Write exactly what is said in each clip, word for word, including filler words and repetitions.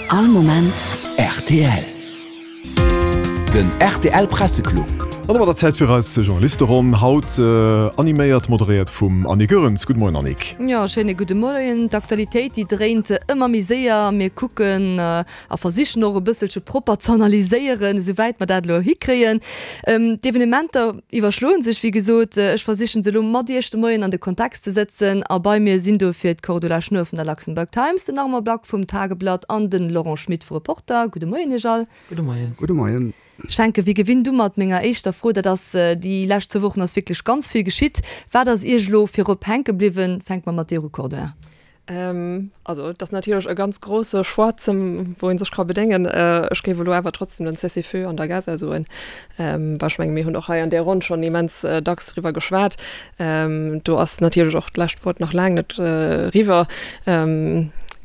All Moment rtl. Den rtl Presseclub. An domat der Zäit fir eis Journalisteronn, haut animéiert, moderéiert vum Annick Goerens. Gudde Moien Annick. Jo, schéine gudde Moien. D'Aktualitéit déi dréint ëmmer méi séier. Mir kucken a versichen och e bësselche propper z'analyséieren, esou wäit mer dat elo hikréien. D'Evenementer iwwerschloen sech, wéi gesot. Ech versichen se elo mat Iech de Moien an de Kontext ze sëtzen a bei mir sinn dofir d'Cordula Schnuer vun der Luxembourg Times, den Armand Back vum Tageblatt an den Laurent Schmit vu Reporter. Gudde Moien Iech all. Gudde Moien. Gudde Moien. Ech fänke wéi gewinnt u mat menger éischter Fro, dat ass, déi lescht zwou Wochen ass wierklech ganz vill geschitt. Wat ass Iech elo virop hänke bliwwen? Fänke mer mat dir u, Cordula. Also et ass natierlech e ganz grousse Choix, wou ee sech ka bedéngen. Ech géif elo awer trotzdem den Cessez-feu an der Gaza soen, well ech menge mir hunn och hei an där Ronn schonn immens dacks driwwer geschwat. Do ass natierlech och d'lescht Wuert nach laang net eriwwer.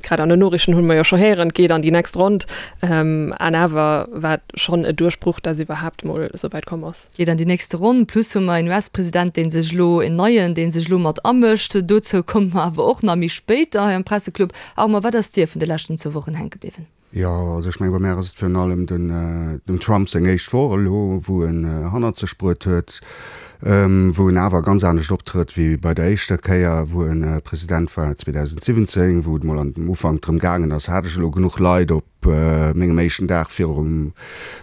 Grad an den Noriichten hunn mer jo scho héieren, et geet an déi nächst Ronn. An awer war et schonn e Duerchbruch, dass iwwerhaapt mol esou wäit komm ass. Geet an déi nächste Ronn. Plus hu mer en US-President, dee sech elo, en neien, dee sech elo mat amëscht. Dozou komme mer awer och nach méi spéit hei am Presseclub. Armand, wat ass dir vun de leschten zwou Wochen hänke bliwwen? Jo, also ech mengen, bei mär ass et virun allem dem Trump seng éischt Woch elo, wou en hannert sech bruet huet, wou en awer ganz anescht optrëtt wéi bei der éischter Kéier, wou e President war zweedausendsiwwenzéng, wou et mol am Ufank drëm gaangen ass, hat ech elo genuch Leit op mengem éischten Dag virum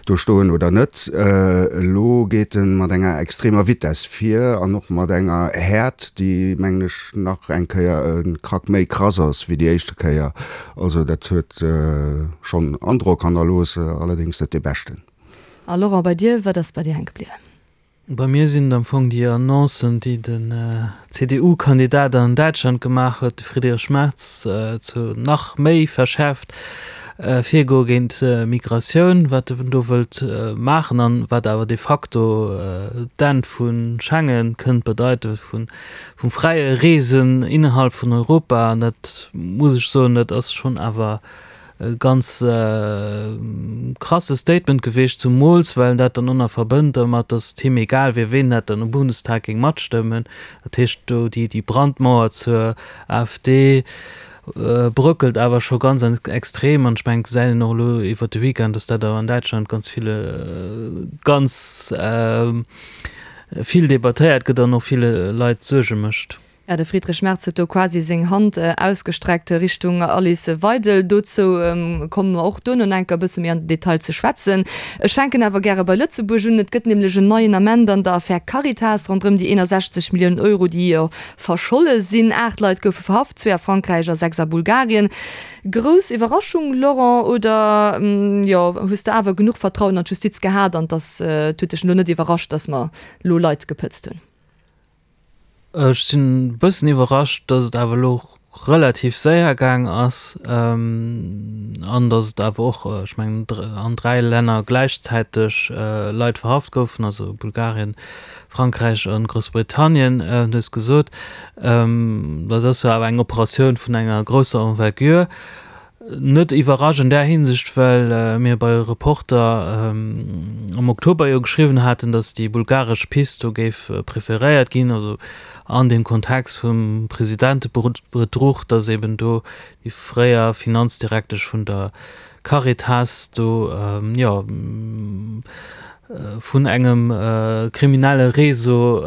do stoen oder net. Elo geet e mat enger extremer Vitess vir an och mat enger Häert, déi, mengen ech, nach eng Kéier e Krack méi krass ass wéi déi éischte Kéier. Also dat huet schonn Androck hannerlooss, allerdéngs net dee beschten. A Laurent, bei dir, wat ass bei dir hänke bliwwen? Bei mir sinn et am Fong déi Annoncen, déi den C D U-Kandidat an Däitschland gemaach huet, de Friedrich Merz, zu nach méi verschäerft Virgoe géint Migratioun, wat en do wëllt maachen an wat awer de facto d'Enn vu Schengen kënnt bedeiten, vum fräie Reesen innerhalb vun Europa. An dat muss ech soen, dat ass schonn awer e ganz krasse Statement gewiescht, zumools well en dat dann och nach verbënnt dermat, datt et him egal wier, ween dat dann um Bundestag géing matstëmmen. Dat heescht, do déi Brandmauer zur A F D bröckelt awer scho ganz extrem an ech mengen, et gesäit een och elo iwwert de Weekend, datt dat awer an Däitschland ganz ville ganz vill debattéiert gëtt an och ville Leit Suerge mécht. Ja, de Friedrich Merz huet do quasi seng Hand ausgestreckt Richtung Alice Weidel. Dozou komme mer och duerno enker e bësse méi an den Detail ze schwätzen. Ech fänken awer gäre bei Lëtzebuerg un. Et gëtt nämlech en neien Ament an der Affär Caritas ronderëm déi eenasechzeg Milliounen Euro, déi jo verscholle sinn. Aacht Leit goufe verhaft, zwee a Frankräich a sechs a Bulgarien. Grouss Iwwerraschung, Laurent, oder jo, hues de awer genuch Vertrauen an d'Justiz gehat an dass et huet dech elo net iwwerrascht, dass mer elo Leit gepëtzt hunn? Ech sinn e bëssen iwwerrascht, datt et awer elo relativ séier gaang ass an datt et awer och, ech mengen, an dräi Länner gläichzäiteg Leit verhaft goufen, also Bulgarien, Frankräich a Groussbritannien, du hues gesot. Dat ass jo awer eng Operatioun vun enger grousser Envergure. Net iwwerrascht an där Hinsicht, well mir bei Reporter am Oktober jo geschriwwen haten, datt déi bulgaresch Pist do géif preferéiert ginn, also an deem Kontext vum Presidentebedruch, datt eben do déi fréier Finanzdirektesch vun der Caritas do, jo, vun engem kriminelle Réseau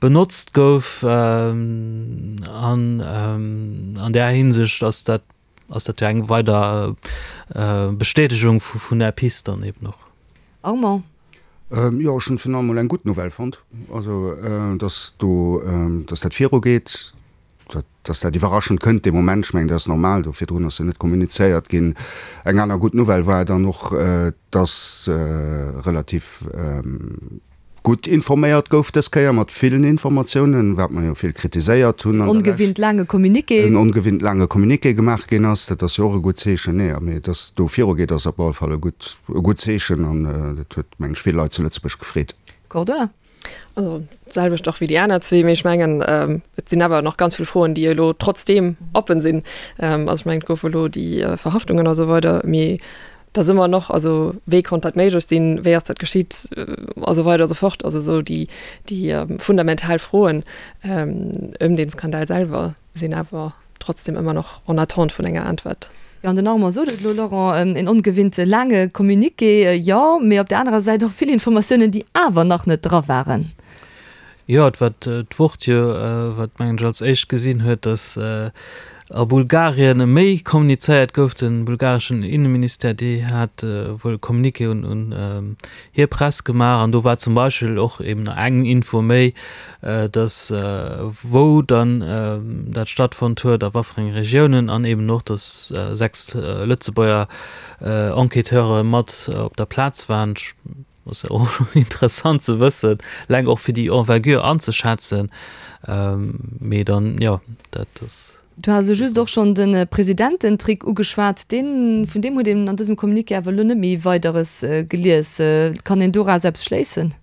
benotzt gouf. An an där Hinsicht ass dat ass dat jo eng weider Bestätegung vun där Pist dann eben och. Armand. Jo, ech hunn virun allem mol eng gutt Nouvelle fonnt, also datt do, datt dat virugeet, datt dat iwwerraschend kënnt dee Moment. Ech mengen, dat ass normal, do virdrun ass jo net kommunizéiert ginn. Eng aner gutt Nouvelle war dann och, datt relativ gutt informéiert gouf dës Kéier, mat villen Informatiounen, wat mer jo vill kritiséiert hunn an der Lescht. Ongewinnt laange Communiqué. En ongewinnt laange Communiqué gemaach ginn ass, dat ass jo och e gutt Zeechen. Nee, mee dass do virugeet, ass op alle Fall e gutt, e gutt Zeechen an dat huet, meng ech, vill Leit zu Lëtzebuerg gefreet. Cordula. Also d'selwecht och wéi déi aner zwee, mee ech mengen, et sinn awer nach ganz vill Froen, déi elo trotzdeem oppen sinn. Also ech mengen, et goufe elo déi Verhaftungen a sou weider, mee et ass ëmmer nach, also wéi konnt dat méiglech sinn, wéi ass dat geschitt a sou weider a sou fort. Also esou déi, déi fundamental Froen ëm dee Skandal selwer sinn awer trotzdem ëmmer nach en attente vun enger Äntwert. Jo, an den Armand sot et elo, Laurent, en ongewinnt laange Communiqué, jo, mee op där anerer Säit och vill Informatiounen, déi awer nach net dra waren. Jo, et war d'Wort jo, wat, mengen ech, als éischt gesinn huet, datt a Bulgarien méi kommunizéiert gouf. De bulgareschen Inneministère, dee hat wuel e Communiqué un hir Press gemaach an do war zum Beispill och eben eng Info méi, datt wou dann dat stattfonnt huet, a wat fir enge Regiounen an eben och, datt sechs Lëtzebuerger Enquêteure mat op der Plaz waren. Ass jo och interessant ze wëssen, eleng och fir déi Envergure anzeschätzen. Mee dann, jo, dat ass. Du has elo just och schonn de Presidententrick ugeschwat. Deen, vun deem huet een an dësem Communiqué awer elo net méi Weideres gelies. Kann een doraus eppes schléissen?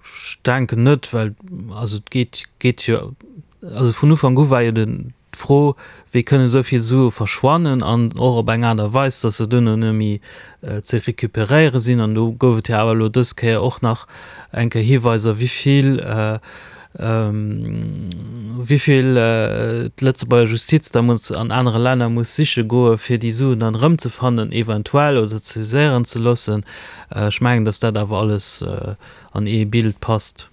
Ech denken net, well also et geet, geet jo, also vun Ufank u war jo den, D'Fro, wéi kënnen esou vill Sue verschwannen an och op eng Aart a Weis, datt se duerno net méi ze recuperéiere sinn. An do gouf et jo awer elo dës Kéier och nach eng Kéier Hiweiser, wéi vill, wéi vill d'Lëtzebuerger Justiz da muss an anere Länner muss siche goe fir déi Suen dann erëmzefannen eventuell oder saiséieren ze loossen. Ech mengen, datt dat awer alles an ee Bild passt.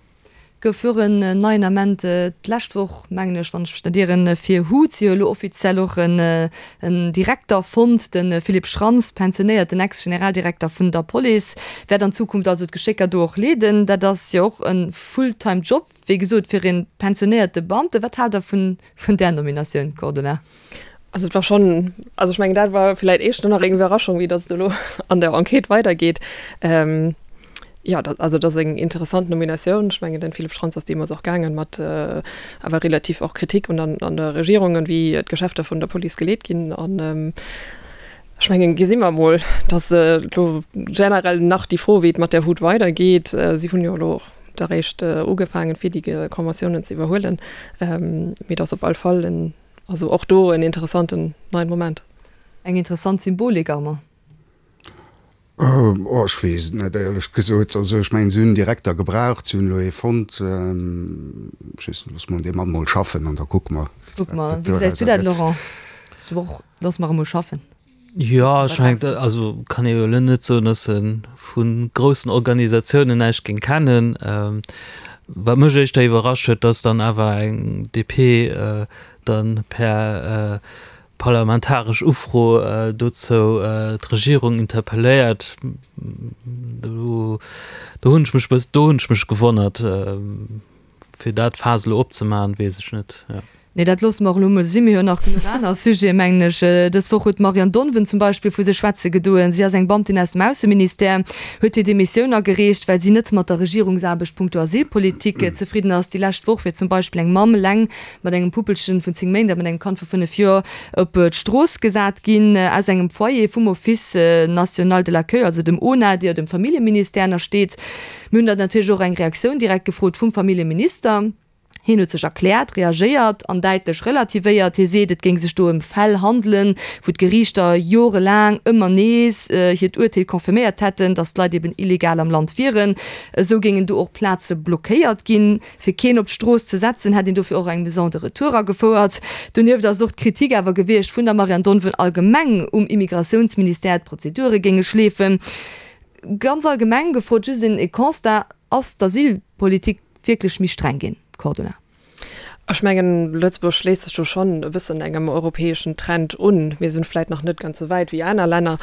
Gouf och en neien Ament d'lescht Woch, mengen ech, wann ech mech net ieren, fir Hut. Si hu elo offiziell och en Direkter fonnt, de Philippe Schrantz, pensionéierten Ex-Generaldirekter vun der Police, wäert an Zukunft also d'Geschécker do och leeden. Dat ass jo och e Fulltime-Job, wéi gesot, fir e pensionéierte Beamten. Wat haalt Der vun där Nominatioun, Cordula? Also et war schonn, also ech mengen, dat war vläicht éischter nach eng Iwwerraschung, wéi datt et elo an der Enquête weidergeet. Jo, dat, also dat ass eng interessant Nominatioun. Ech mengen, den Philippe Schrantz ass deemools och gaangen mat awer relativ och Kritik un an an der Regierung an wéi d'Geschäfter vun der Police geleet ginn. An ech mengen, gesi mer emol, dass elo generell nach déi Fro, wéi et mat der Hut weidergeet. Si hunn jo elo och da réischt ugefaangen, fir déi Conventiounen ze iwwerhuelen. Mee et ass op all Fall en, also och do en interessanten neien Moment. Eng interessant Symbolik, Armand. Oh, ech weess et net, éierlech gesot. Also ech mengen, si hunn en Direkter gebraucht, si hunn elo ee fonnt. Ech weess net, loosse mer dee Mann mol schaffen an da kucke mer, Kucke mer. wat Wéi gesäis du dat, gëtt. Laurent? Bass du och, loosse mer e mol schaffen? Jo, ech mengen, also kann ee jo elo net soen, datt e vu groussen Organisatiounen näischt géing kennen. Wat mech éischter iwwerrascht huet, datt dann awer eng D P dann per parlamentaresch Ufro dozou d'Regierung interpelléiert. Do hunn ech mech e bëss, do hunn ech mech gewonnert. Fir dat Faass elo opzemaachen, weess ech net. Nee, dat loosse mer och elo emol sinn. Mir hunn nach genuch aner Sujeten, mengen ech. Dës Woch huet d'Marianne Donven zum Beispill vu sech schwätze gedoen. Si ass eng Beamtin aus dem Ausseministère, huet hir Demissioun agereecht, well si net mat der Regierungsaarbecht punkto Asylpolitik zefridden ass. Déi lescht Woch wier zum Beispill eng Mamm eleng mat engem Puppelchen vun zéng Méint a mat engem Kand vu fënnef Joer op d'Strooss gesat ginn aus engem Foyer vum Office national de l'accueil, also dem ONA, dee jo dem Familljeministère ënnersteet. Mir hunn dann natierlech och eng Reaktioun direkt gefrot vum Familljeminister. Hien huet sech erkläert, reagéiert an däitlech relativéiert. Hie seet, et géing sech do ëm Fäll handelen, wou d'Geriichter jorelaang ëmmer nees hiert Urteel confirméiert hätten, datt d'Leit eben illegal am Land wieren. Esou géingen do och Plaze blockéiert ginn. Fir keen op d'Strooss ze setzen, hätt een dofir och eng Maison de retour agefouert. Donieft ass och d'Kritik awer gewiescht vun der Marianne Donven allgemeng um Immigratiounsministère, d'Prozedure géinge schleefen. Ganz allgemeng gefrot, just een Constat, Ass d'Asylpolitik wierklech méi streng ginn, Cordula? Ech mengen, Lëtzebuerg schléisst sech do schonn e bëssen engem europäeschen Trend un. Mir sinn vläicht nach net ganz esou wäit wéi aner Länner,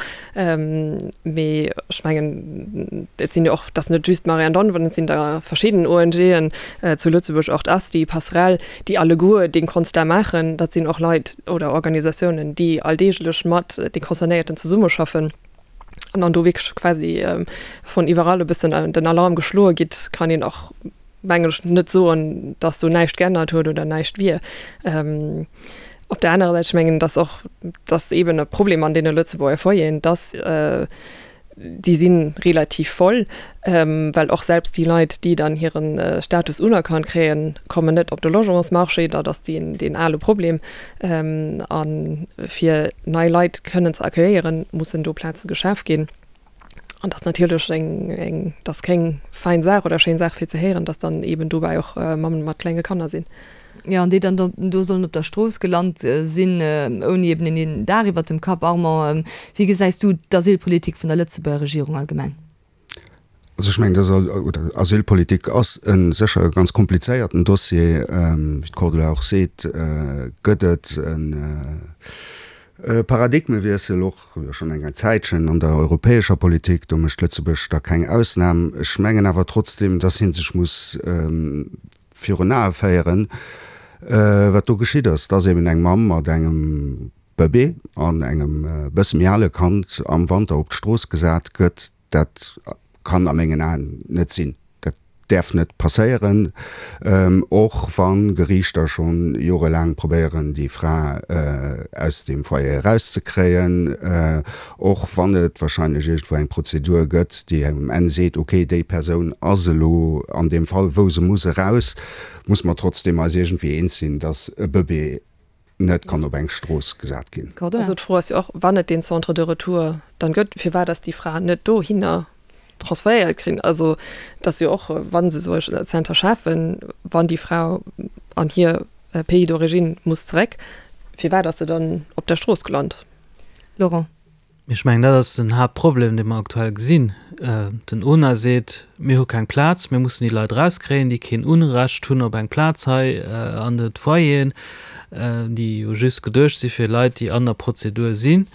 mee ech mengen, et sinn jo och, et ass net just d'Marianne Donven, et sinn der verschidden O N Gen zu Lëtzebuerg, och d'ASTI, Passerell, déi alleguer dee Constat maachen. Dat sinn och Leit oder Organisatiounen, déi alldeeglech mat de Concernéierten zesummeschaffen. An dann do wierklech quasi vun iwwerall e bëssen den Alarm geschloe gitt, kann een och, mengen ech, net soen, dass do näischt geännert huet oder näischt wier. Op der anerer Säit, ech mengen, dass och, dass eeben e Problem an deene Lëtzebuerger Foyeren, dass déi si relativ voll, well och selbst déi Leit, déi dann hire Status unerkannt kréien, kommen net op de Logementsmarché. Dat ass deen, deen ale Problem. A fir nei Leit kënnen ze accueillieren, mussen do Plaze geschaf ginn. An dat ass natierlech eng, eng, dat ass keng fein Saach oder schéin Saach fir ze héieren, dass dann eeben dobäi och Mammen mat klenge Kanner sinn. Jo, an déi dann do sollen op der Strooss gelant sinn, ouni eben een Daach iwwert dem Kapp. Armand, wéi gesäis du d'Asylpolitik vun der Lëtzebuerger Regierung allgemeng? Also ech mengen, dass, Asylpolitik ass e sécher e ganz komplizéierten Dossier. Wéi d'Cordula och seet, gëtt et e Paradigmewiessel och schonn eng Zäitchen an der europäescher Politik. Do mécht Lëtzebuerg da keng Ausnam. Ech mengen awer trotzdem, dass ee sech muss virun Ae féieren, wat do geschitt ass, dass eben eng Mamm mat engem Bëbee an engem bësse méi ale Kand am Wanter op d'Strooss gesat gëtt. Dat kann a mengen Aen net sinn. Dat däerf net passéieren, och wa Geriichter scho jorelaang probéieren, déi Fra aus deem Foyer erauszekréien, och wann et wahrscheinlech iergendwou eng Prozedur gëtt, déi um Enn seet, okay, déi Persoun ass elo an deem Fall, wou se muss eraus, muss mer trotzdeem eis iergendwéi eens sinn, dass e Bëbee net kann op eng Strooss gesat ginn. Also d'Fro ass jo och, wann et deen Centre de retour dann gëtt, firwat ass déi Fra net dohinner transferéiert ginn? Also et ass jo och, wa se esou e Center schafen, wann déi Fra an hir Pays d'origine muss zeréck, firwat ass se dann op der Strooss gelant? Laurent. Ech mengen, dat ass den Haaptproblem, dee mer aktuell gesinn. Den ONA seet, Mir hu keng Plaz, mir mussen déi Leit erauskréien, déi keen Unrecht hunn op eng Plaz hei an de Foyeren, déi jo just geduecht si fir Leit, déi an der Prozedur sinn.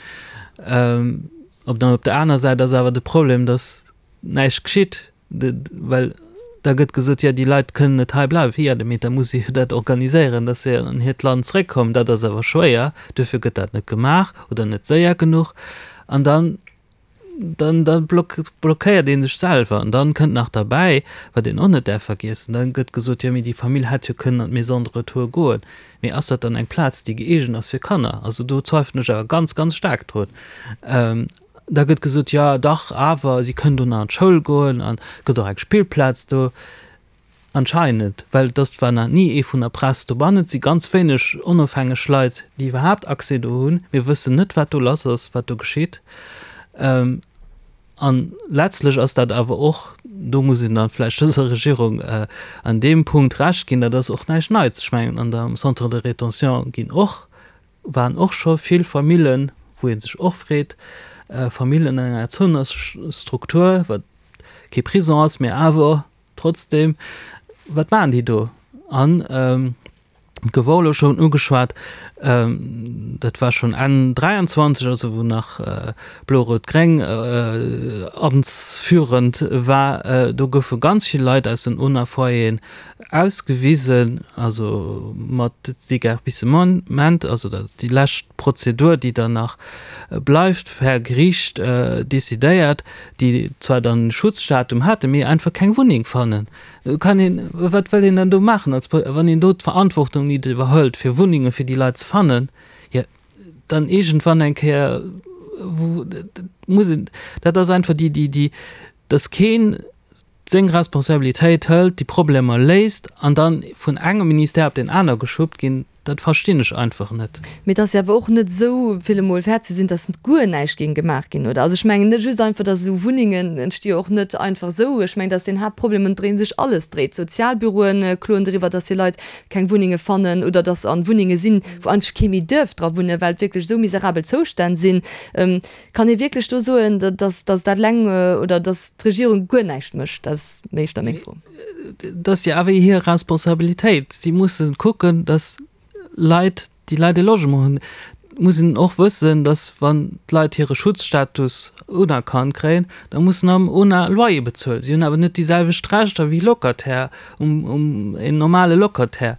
Op der aner Säit ass awer de Problem, datt näischt geschitt, well da gëtt gesot, jo déi Leit kënnen net hei bleiwen. Jo, mee da muss ee jo dat organiséieren, datt se an hiert Land zréckkommen. Dat ass awer schwéier, duerfir gëtt dat net gemaach oder net séier genuch. An dann, dann, da blockéiert ee sech selwer. An dann kënnt nach derbäi, wat een och net däerf vergiessen, da gëtt gesot, jo mee déi Famill hätt jo kënnen an d'Maison de retour goen. Mee ass dat dann eng Plaz, déi gëeegent ass fir Kanner? Also do zweifelen ech awer ganz, ganz staark drun. Da gëtt gesot, jo dach, awer si kënnen do nach an d'Schoul goen an et gëtt och eng Spillplaz do. Anscheinend, well et ass zwar nach ni ee vun der Press dobannen, et si ganz wéineg onofhängeg Leit, déi iwwerhaapt Accès do hunn. Mir wëssen net, wat do lass ass, wat do geschitt. An letztlech ass dat awer och, do muss een dann vläicht dëser Regierung an deem Punkt Recht ginn, dat ass och näischt Neits. Ech mengen, an der Centre de rétention ginn och waren och scho vill Famillen, wou ee sech och freet, Famillen an enger Erzounungsstruktur, wat kee Prison ass, mä awer trotzdem, wat maachen déi do? An et gouf och elo schonn ugeschwat, dat war schonn Enn dräianzwanzeg, also wou nach Blo-Rout-Gréng amtsführend war, do goufe ganz vill Leit aus den UNA-Foyeren ausgewisen, also mat Déguerpissement, also dat ass déi lescht Prozedur, déi dann nach bleift, per Geriicht decidéiert, déi zwar dann e Schutzstatum haten, mee einfach keng Wunneng fannen. Do kann een, wat wëll een dann do maachen als, wann een do d'Verantwortung nit iwwerhëlt, fir Wunnenge fir déi Leit ze fannen, jo dann iergendwann eng Kéier muss een, dat ass einfach déi, déi, déi, dass keen seng Responsabilitéit hëlt, déi Problemer léist an dann vun engem Ministère op deen aner geschubbt ginn, dat verstinn ech einfach net. Mee et ass jo awer och net esou, fir emol fair ze sinn, datt guer näischt géing gemaach ginn, oder? Also ech mengen net just einfach, datt esou Wunnengen entsti jo och net einfach esou. Ech mengen, dat ass deen Haaptproblem, ëm deen sech alles dréit. D'Sozialbüroe kloen doriwwer, datt hir Leit keng Wunnenge fannen oder datt an Wunnenge sinn, wou eigentlech kee méi duerf dra wunnen, well et wierklech esou miserabel Zoustänn sinn. Kann ee wierklech do soen, dass dat eleng oder dass d'Regierung guer näischt mécht? Dat ass éischter meng Fro. Dat ass jo awer hir Responsabilitéit. Si musse kucken, dass Leit, déi Leit e Logement hunn. Et muss een och wëssen, dass wann d'Leit hire Schutzstatus unerkannt kréien, da mussen am ONA Loyer bezuelen. Si hunn awer net déi selwecht Rechter wéi Locataire, en normale Locataire.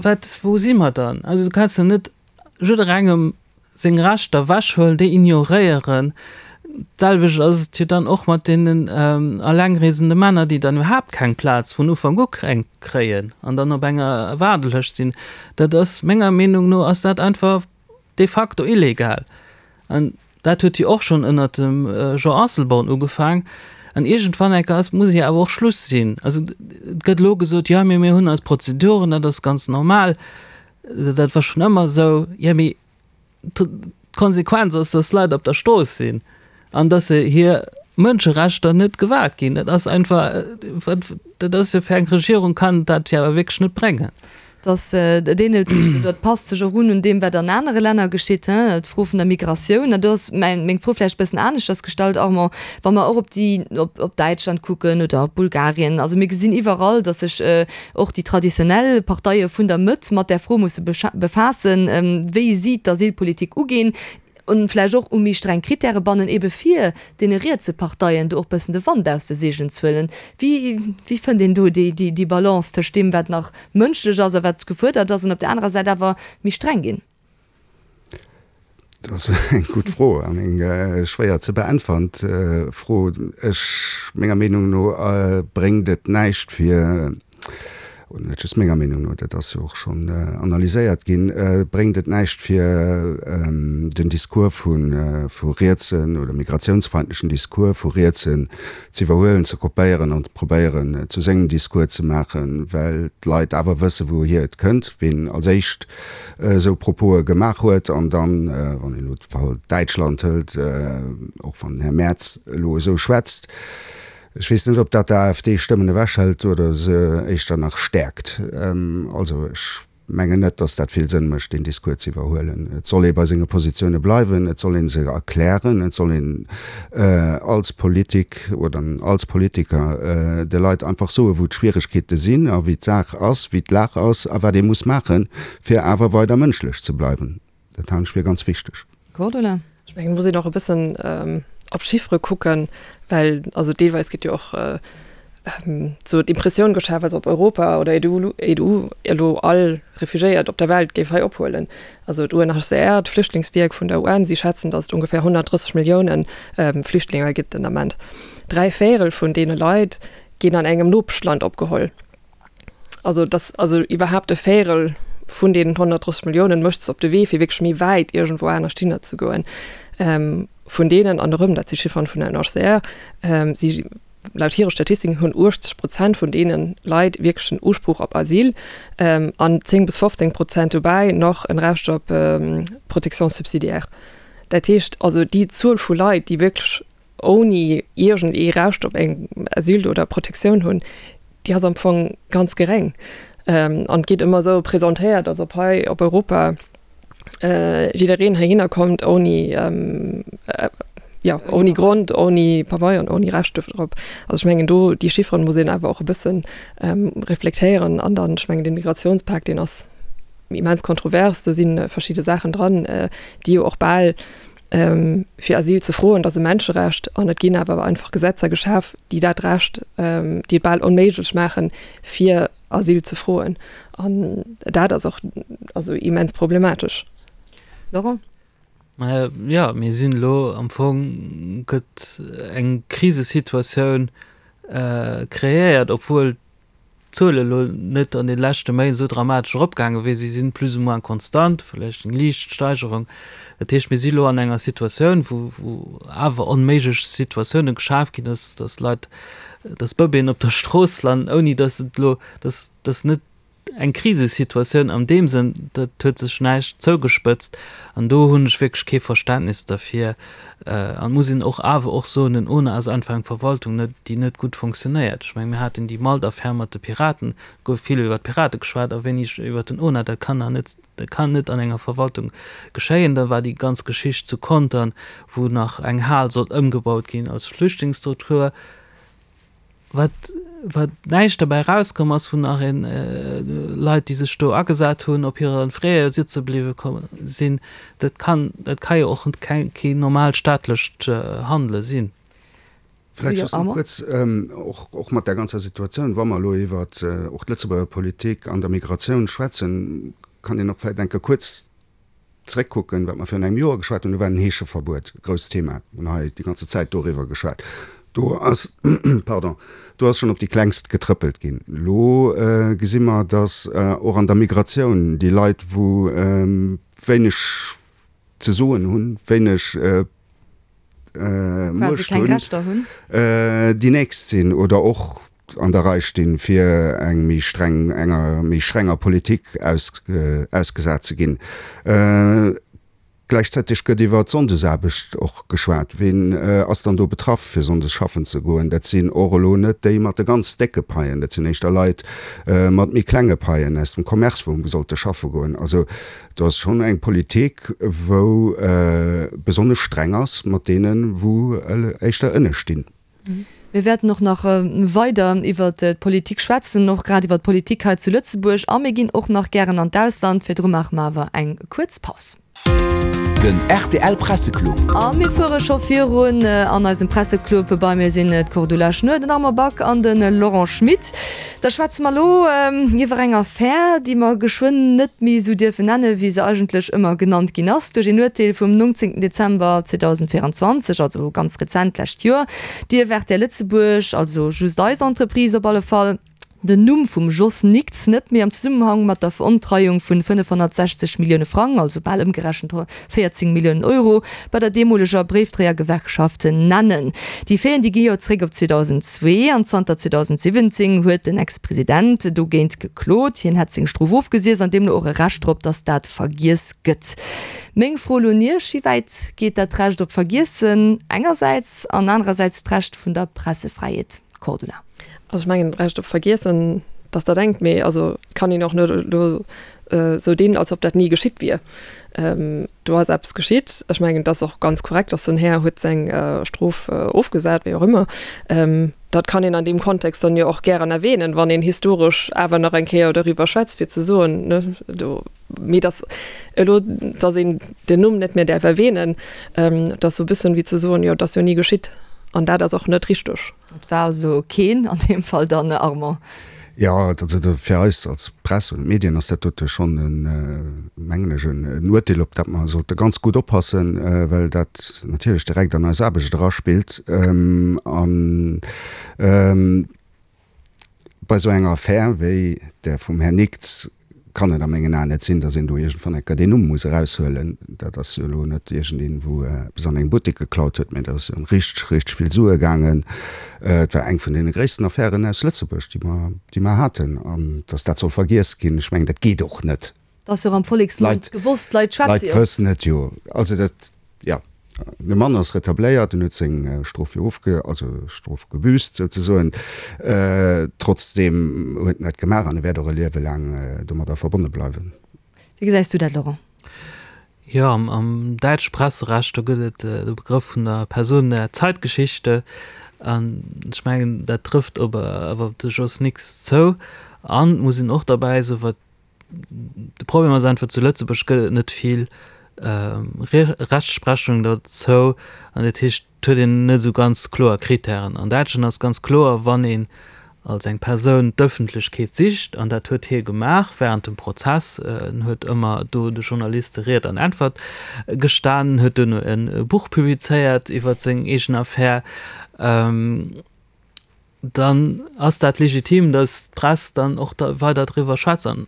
Wat, wou si mer dann? Also du kanns jo net jidderengem seng Rechter ewechhuelen, déi ignoréieren. D'selwecht ass et jo dann och mat deenen allengreesende Männer, déi dann iwwerhaapt keng Plaz vun Ufank u kréien an dann op enger Waardelëscht sinn. Dat ass, menger Meenung no ass dat einfach de facto illegal. An dat huet jo och schonn ënnert dem Jean Asselborn ugefaang. An iergendwann enker ass, muss jo awer och Schluss sinn. Also et gëtt elo gesot, jo mee mir hunn eis Prozeduren, dat ass ganz normal, dat war schonn ëmmer esou. Jo mee d'Konsequenz ass, dass Leit op der Strooss sinn an dass se hir Mënscherechter net gewahrt ginn. Dat ass einfach, wat, dat ass jo fir eng Regierung kann dat jo awer wierklech net bréngen. Dass et ähnelt sech oder et passt sech och un un deem, wat an anere Länner geschitt, hein, d'Fro vun der Migratioun. An do ass mäin, meng Fro vläicht e bëssen aneschters gestallt, Armand, wa mer och op déi, op, op Däitschland kucken oder op Bulgarien, also mir gesinn iwwerall, dass sech och déi traditionell Parteie vun der Mëtt mat där Fro musse befaassen, wéi si d'Asylpolitik uginn an vläicht och u méi streng Kritäre bannen, ebe fir deene rietse Parteien do och bëssen de Wand aus de Seegelen ze huelen. Wéi, wéi fënnt een do déi, déi, déi Balance tëscht deem, wat nach mënschlech ass a wat gefuerdert ass, an op där anerer Säit awer méi streng ginn? Dat ass eng gutt Fro an eng schwéier ze beäntwerend Fro. Ech, menger Meenung no bréngt et näischt fir, oder net just menger Meenung no, dat ass jo och schonn analyséiert ginn, bréngt et näischt fir den Discours vu vu rietsen oder migratiounsfeindlechen Discours vu rietsen ze iwwerhuelen, ze kopéieren an probéieren zu sengem Discours ze maachen, well d'Leit awer wësse wouhier et kënnt, wien als éischt esou Propose gemaach huet an dann, wann een elo de Fall Däitschland hëlt, och wann den Här Merz elo esou schwätzt, ech weess net, ob dat der AfD Stëmmen ewechhëlt oder se éischter nach stäerkt. Also ech mengen net, datt dat vill Sënn mécht, deen Discours ze iwwerhuelen. Et soll ee bei senge Positioune bleiwen, et soll ee se erklären, et soll een als Politik oder als Politiker de Leit einfach soen, wou d'Schwieregkeete sinn a wéi d'Saach ass, wéi d'Lag ass a wat ee muss maachen, fir awer weider mënschlech ze bleiwen. Dat halen ech fir ganz wichteg. Cordula? Ech mengen, et muss een och e bëssen op d'Chiffere kucken, well also deelweis gëtt jo och sou d'Impressioun geschaf, als ob Europa oder d'EU elo all Refugiéiert op der Welt géif hei ophuelen. Also d'UNHCR, d'Flüchtlingswierk vun der U N, si schätzen, datt et ongeféier honnertdrësseg Millioune Flüchtlinge gëtt den Ament. Dräi Véierel vun deene Leit ginn an engem Nopeschland opgeholl. Also datt also iwwerhaapt e Véierel vun deenen honnertdrësseg Milliounen mécht sech op de Wee, fir wierklech méi wäit iergendwou anescht hinner ze goen. Vun deenen, an erëm, dat si Chifferen vun der U N H C R, si laut hire Statistiken hunn uechtzeg Prozent vun deene Leit wierklech en Usproch op Asyl an zéng bis fofzéng Prozent dobäi nach en Recht op Protection subsidiaire. Dat heescht also, déi Zuel vu Leit, déi wierklech ouni iergend ee Recht op eng Asyl oder Protektioun hunn, déi ass am Fong ganz geréng. An et gétt ëmmer esou presentéiert, als ob hei op Europa jiddereen heihinner kommt ouni, jo, ouni Grond, ouni Pabeier an ouni Recht drop. Also ech mengen do, déi Chifferen muss een awer och e bëssen reflektéieren. An dann, ech mengen, de Migrationspak, deen ass immens kontrovers, do si verschidde Saachen dran, déi jo och bal fir Asyl ze froen, dat ass e Menscherecht, an et ginn awer einfach Gesetzer geschaf, déi dat Recht, déi et bal onméiglech maachen, fir Asyl ze froen. An dat ass och also immens problematesch. Laurent? Maja, jo, mir sinn elo am Fong, gëtt eng Krisesituatioun kreéiert, obwuel d'Zuele elo net an de leschte Méint esou dramatesch eropgaange wier. Si sinn plus ou moins konstant, vläicht eng liicht Steigerung. Dat heescht, mir si elo an enger Situatioun, wou wou awer onméiglech Situatioune geschaf ginn, dass dass Leit, dass Bëbeeën op der Strooss landen, ouni dass et elo, dass dass net eng Krisesituatioun an deem Sënn, dat huet sech näischt zougespëtzt an do hunn ech wierklech kee Verständnis derfir. An et muss een och awer och soen, den ona ass einfach eng Verwaltung, net, déi net gutt fonctionnéiert. Ech mengen, mir haten déi Malt-Affär mat de Piraten, et gouf vill iwwert d'Pirate geschwat a wéineg iwwert den ona. Dat kann nach net, dat kann net an enger Verwaltung geschéien. Da war déi ganz Geschicht zu Contern, wou nach eng Hal sollt ëmgebaut ginn als Flüchtlingsstruktur. Wat, wat näischt derbäi erauskomm ass, wou nach een Leit, déi sech do agesat hunn, op hire Fräe sitze bliwwe komm sinn, dat kann, dat ka jo och keng, keen normaalt staatlecht Handele sinn. Vläicht just nach kuerz, och, och mat där ganzer Situatioun, wa mer elo iwwer och d'Lëtzebuerger Politik an der Migratioun schwätzen, kann een och vläicht eng Kéier kuerz Zréckkucken, wat mer virun engem Joer geschwat hunn, do war den Heescheverbuet e grousst Thema. Mir hunn hei déi ganze Zäit doriwwer geschwat. Do ass, pardon, do ass schonn op déi Klengst getrëppelt ginn. Elo gesi mer, datt och an der Migratioun déi Leit, wou wéineg ze soen hunn, wéineg Quasi Muecht keng hunn, Rechter hunn. déi nächst sinn oder och an der Rei stinn, fir eng méi streng, enger méi strenger Politik ausgesat ze ginn. Gläichzäiteg gëtt iwwer d'Sonndesaarbecht och geschwat. Ween ass dann do betraff, fir sonndes schaffen ze goen? Dat sinn och elo net déi mat de ganz décke Paien, dat sinn éischter Leit mat méi klenge Paien aus dem Commerce, wou sollte schaffe goen. Also do ass schonn eng Politik, wou besonnesch streng ass mat deenen, wou éischter ënne stinn. Mir wäerten och nach weider iwwert d'Politik schwätzen, och grad iwwert d'Politik hei zu Lëtzebuerg. A mir ginn och nach gären an d'Ausland. Virdru maache mer awer eng kuerz Paus. Den rtl Presseclub. A mir fuere scho virun an eisem Presseclub. Bei mir sinn d'Cordula Schnuer, den Armand Back an de Laurent Schmit. Da schwätze mer elo iwwer eng Affär, déi mer geschwënn net méi esou dierfen nennen, wéi se eigentlech ëmmer genannt ginn ass. Duerch een Urteel vum nongzéngten Dezember zweedausendvéierundzwanzeg, also ganz rezent, d'lescht Joer, dierf rtl Lëtzebuerg, also just eis Entreprise op alle Fall, den Numm vum Jos Nickts net méi am Zesummenhang mat der Verontreiung vun fënnefhonnertsechzeg Millioune Frang, also bal ëmgerechent véierzéng Milliounen Euro, bei der deemoleger Bréifdréiergewerkschaft nennen. Déi Faiten, déi gi jo zréck op zweedausendzwee an zanter zweedausensiwwenzéng huet den Ex-President dogéint geklot. Hien hätt seng Strof ofgesiess an deemno och e Recht drop, datt dat vergiess gëtt. Meng Fro elo un Iech, Wéi wäit geet dat Recht op Vergiessen engersäits an anerersäits d'Recht vun der Pressefräiheet? Cordula. Also ech mengen, d'Recht op Vergiessen, dass dat engt, mee also et kann een och net elo esou dinn, als ob dat ni geschitt wier. Do ass eppes geschitt. Ech mengen, et ass och ganz korrekt, dass den Här huet seng Strof ofgesat, wéi och ëmmer. Dat kann een an deem Kontext dann jo och gären erwähnen, wann een historesch awer nach eng Kéier doriwwer schwätzt, fir ze soen, ne, do, mee dass elo, dass een den Numm net méi däerf erwähnen, dat ass esou e bëssen wéi ze soen, jo, et ass jo ni geschitt. An dat ass och net richteg. Et war also keen an deem Fall dann, Armand? Jo, also fir eis als Press und Medien ass dat dote schonn en, mengen ech, en Urteel, op dat mer sollte ganz gutt oppassen, well dat natierlech direkt an eis Aarbecht eraspillt. An bei esou enger Affär wéi där vum Här Nickts kann et a mengen Aen net sinn, datt een do iergendwann eng Kéier deen Numm muss eraushuelen. Dat ass jo elo net iergendeen, wou eppes an engem Buttek geklaut huet, mä dat ass ëm richteg, richteg vill Sue gaangen. Et war eng vun deene gréissten Affären aus Lëtzebuerg, déi mer, déi mer haten. An datt dat soll vergiess ginn, ech mengen, dat geet och net. Dat ass jo och am Volleksmond gewosst, d'Leit schwätze jo. D'Leit wëssen et jo. Also dat, jo. De Mann ass retabléiert, en huet seng Strof jo ofge, also Strof gebüsst souzesoen. Trotzdeem huet en dat gemaach an e wäert och e Liewe laang domadder verbonne bleiwen. Wéi gesäis du dat, Laurent? Jo, am däitsche Presserecht, do gëtt et de Begrëff vun der Person der Zeitgeschichte. An ech mengen, dat trëfft op awer op de Jos Nickts zou. An et muss een och derbäi soen, wat de Problem ass einfach, zu Lëtzebuerg gëtt et net vill Rechtsprechung dozou, an dat heescht, et huet een net esou ganz kloer Kritären. An Däitschland ass ganz kloer, wann een als eng Persoun d'Ëffentlechkeet sicht, an dat huet hie gemaach während dem Prozess, en huet ëmmer do de Journaliste Ried an Äntwert gestanen, huet duerno e Buch publizéiert iwwer seng eegen Affär, dann ass dat legitim, datt d'Press dann och da weider driwwer schwätzt. An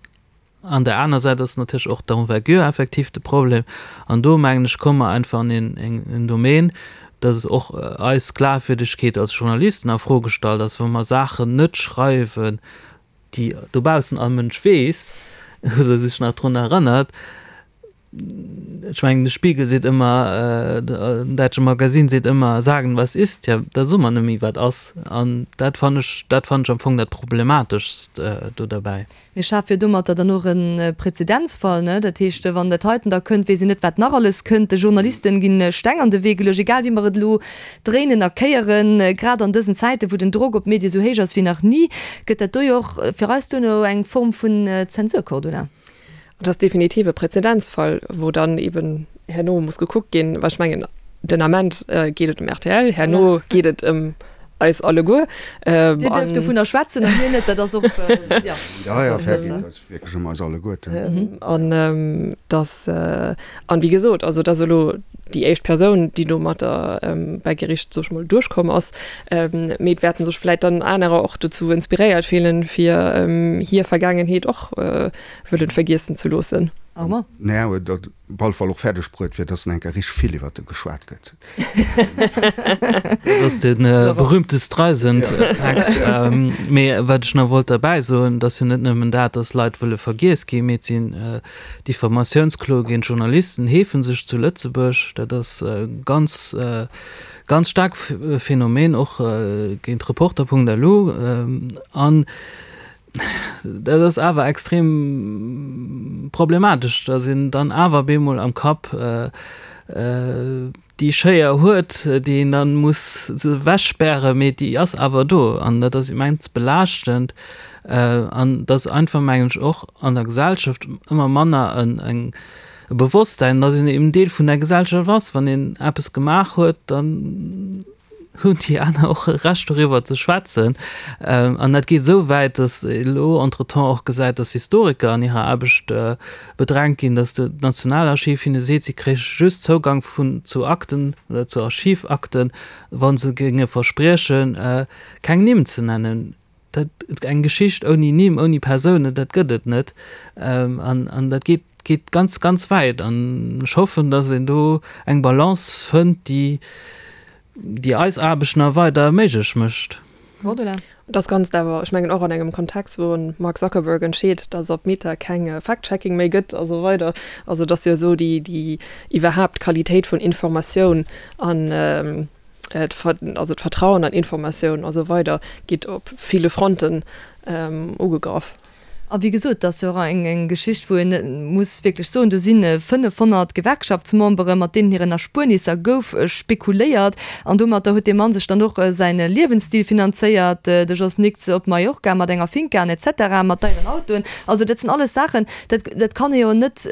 An der aner Säit ass natierlech och d'Envergure effektiv de Problem. An do, mengen ech, komme mer einfach an een Domaine, dass och eis Glafwierdegkeet als Journalisten a Fro gestallt ass, wa mer Saachen net schreiwen, déi dobaussen all Mënsch weess oder sech nach drun erënnert. Ech mengen, de Spiegel seet ëmmer, den däitsche Magasinn seet ëmmer, sagen, was ist. Ja, da soe mer net méi, wat ass. An dat fannen ech, dat fannen ech am Fong dat Problemateschst do derbäi. Mir schafe jo domatter dann och e Präzedenzfall, ne? Dat heescht, wann dat heiten da kënnt, weess een net, wat nach alles kënnt. De Journalisten ginn Steng an de Wee geluecht, egal wéi mer et elo dréinen a kéieren. Grad an dësen Zäiten, wou den Drock op d'Medie esou héich ass wéi nach ni, gëtt dat do jo och fir eis duerno eng Form vun Zensur, Cordula. Et ass definitiv e Präzedenzfall, wou dann eben herno muss gekuckt ginn, well ech mengen, den Ament geet et ëm rtl, herno geet et ëm eis alleguer. Dir duerft dovunner schwätzen a mir net, dat ass och, jo. Ja, ja, fair geet et wierklech ëm eis alleguerten. An dass, an wéi gesot, also et ass elo déi éischt Persoun, déi domatter bei Gericht, soe ech mol, duerchkomm ass, mee et wäerte sech vläicht dann anerer och dozou inspiréiert fillen, fir hir Vergaangenheet och wëllen vergiessen ze loossen. Armand? Naja, huet dat op alle Fall och fäerdeg bruet, fir dass enker richteg vill iwwert e geschwat gëtt. Dat ass de berühmte Streisand-Effekt. Mee wat ech nach wollt derbäi soen, et ass jo net nëmmen dat, dass Leit wëlle vergiess ginn, mee et sinn Diffamatiounskloe géint Journalisten heefe sech zu Lëtzebuerg. Dat ass e ganz, ganz staark Phänomen, och géint Reporter.lu. An dat ass awer extrem problematesch, dass een dann awer bemol am Kapp déi Schéier huet, déi een dann muss ewechspären, mee déi ass awer do an dat ass immens belaaschtend. An dass einfach, mengen ech, och an der Gesellschaft ëmmer manner en e Bewosstsein, dass een eben Deel vun der Gesellschaft ass. Wann een eppes gemaach huet, dann hunn déi aner och e Recht doriwwer ze schwätzen. An dat geet esou wäit, dass ee elo entretemps och gesäit, dass Historiker an hirer Aarbecht bedrängt ginn, dass d'Nationalarchiv hinne seet, si kréiche just Zougang vun zu Akten oder zu Archivakten, wa se géinge verspriechen, keng Nimm ze nennen. Dat, eng Geschicht ouni Nimm, ouni Persounen, dat gëtt et net. An, an dat geet, geet ganz, ganz wäit. An ech hoffen, dass een do eng Balance fënnt, déi, déi eis Aarbecht nach weider méiglech mécht. Cordula. Dat Ganzt awer, ech mengen, och an engem Kontext, wou en Mark Zuckerberg entscheet, dass op Meta keng Fact-Checking méi gëtt a sou weider. Also et ass jo esou, déi, déi iwwerhaapt d'Qualitéit vun Informatioun an also d'Vertrauen an Informatioun a sou weider geet op ville Fronten ugegraff. A wéi gesot, dat ass jo och eng Geschicht, wou een muss wierklech soen, do si fënnefhonnert Gewerkschaftsmembere mat deenen hiren Erspuernisser gouf spekuléiert. An domatter huet dee Mann sech dann och säi Liewensstil finanzéiert, de Jos Nix op Mallorca mat enger Finca an et cetera, mat deieren Autoen. Also dat sinn alles Saachen, dat dat kann ee jo net,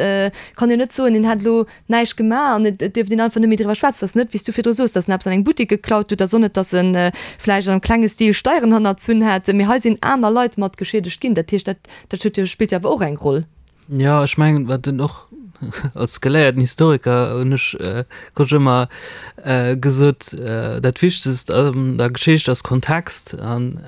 kann een jo net soen, een hätt elo näischt gemaach an et dierft een einfach net méi driwwer schwätzen. Et ass net, wéi s du virdru soos, datt en eppes an engem Buttek geklaut huet, et ass och net, datt en vläicht an engem klenge Stil Steieren hannerzunn hätt, mee hei sinn aner Leit mat geschiedegt ginn. Dat heescht, dat dat huet jo, spillt jo awer och eng Roll. Jo, ech mengen, wat en och als geléierten Historiker hunn ech, krut ech ëmmer gesot, dat Wichtegst an der Geschicht ass Kontext. An